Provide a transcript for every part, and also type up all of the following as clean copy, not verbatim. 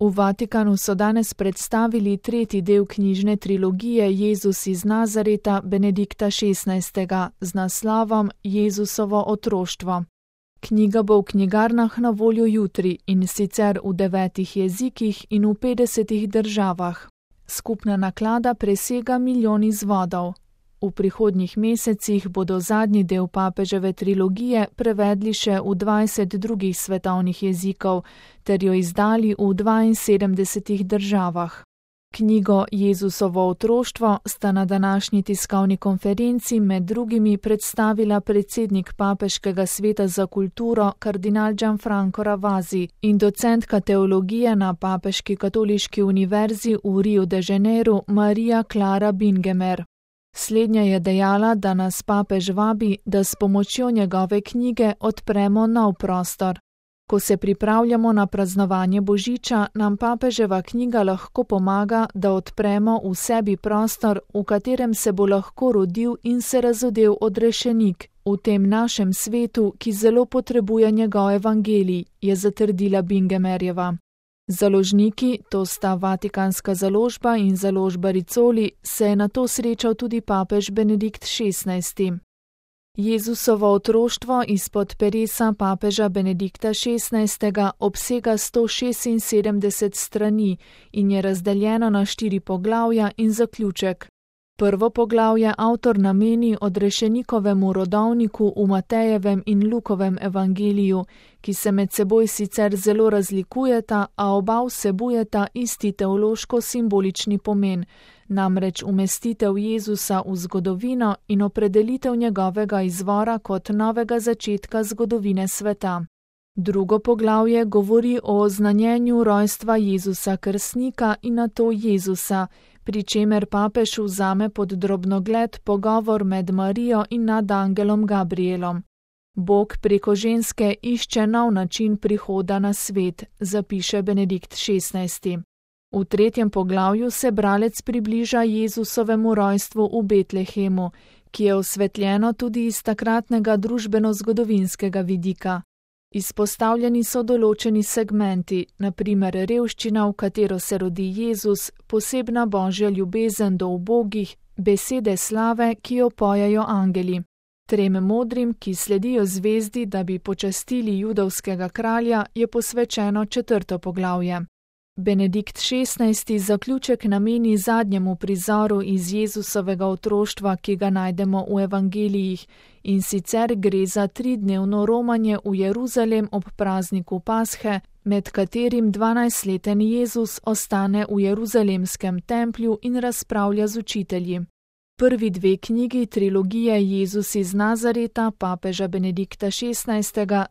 V Vatikanu so danes predstavili tretji del knjižne trilogije Jezus iz Nazareta Benedikta XVI. Z naslovom Jezusovo otroštvo. Knjiga bo v knjigarnah na voljo jutri, in sicer v 9 jezikih in v 50 državah. Skupna naklada presega 1 milijon izvodov. V prihodnjih mesecih bodo zadnji del papeževe trilogije prevedli še v 20 drugih svetovnih jezikov ter jo izdali v 72 državah. Knjigo Jezusovo otroštvo sta na današnji tiskovni konferenci med drugimi predstavila predsednik Papeškega sveta za kulturo kardinal Gianfranco Ravasi in docentka teologije na Papeški katoliški univerzi v Riu de Janeiru Maria Clara Bingemer. Slednja je dejala, da nas papež vabi, da s pomočjo njegove knjige odpremo nov prostor. Ko se pripravljamo na praznovanje Božiča, nam papeževa knjiga lahko pomaga, da odpremo v sebi prostor, v katerem se bo lahko rodil in se razodel odrešenik v tem našem svetu, ki zelo potrebuje njegov evangelij, je zatrdila Bingemerjeva. Založniki, to sta Vatikanska založba in založba Rizzoli, se je na to srečal tudi papež Benedikt XVI. Jezusovo otroštvo izpod peresa papeža Benedikta XVI. Obsega 176 strani in je razdeljeno na 4 poglavja in zaključek. Prvo poglavje avtor nameni odrešenikovemu rodovniku v Matejevem in Lukovem evangeliju, ki se med seboj sicer zelo razlikujeta, a oba vsebujeta isti teološko-simbolični pomen, namreč umestitev Jezusa v zgodovino in opredelitev njegovega izvora kot novega začetka zgodovine sveta. Drugo poglavje govori o oznanjenju rojstva Jezusa Krstnika in nato Jezusa, pri čemer papež vzame pod drobnogled pogovor med Marijo in nad angelom Gabrielom. Bog preko ženske išče nov način prihoda na svet, zapiše Benedikt XVI. V tretjem poglavju se bralec približa Jezusovemu rojstvu v Betlehemu, ki je osvetljeno tudi iz takratnega družbeno-zgodovinskega vidika. Izpostavljeni so določeni segmenti, na primer revščina, v katero se rodi Jezus, posebna božja ljubezen do ubogih, besede slave, ki jo pojejo angeli. 3 modrim, ki sledijo zvezdi, da bi počastili judovskega kralja, je posvečeno 4. poglavje. Benedikt XVI. Zaključek nameni zadnjemu prizoru iz Jezusovega otroštva, ki ga najdemo v evangelijih, in sicer gre za 3-dnevno romanje v Jeruzalem ob prazniku Pashe, med katerim 12-leten Jezus ostane v jeruzalemskem templju in razpravlja z učitelji. Prvi 2 knjigi trilogije Jezus iz Nazareta papeža Benedikta XVI.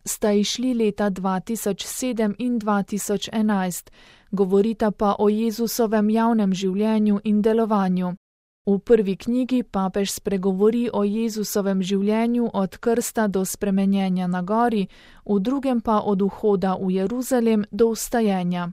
Sta izšli leta 2007 in 2011, govorita pa o Jezusovem javnem življenju in delovanju. V prvi knjigi papež spregovori o Jezusovem življenju od krsta do spremenjenja na gori, v drugem pa od vhoda v Jeruzalem do vstajenja.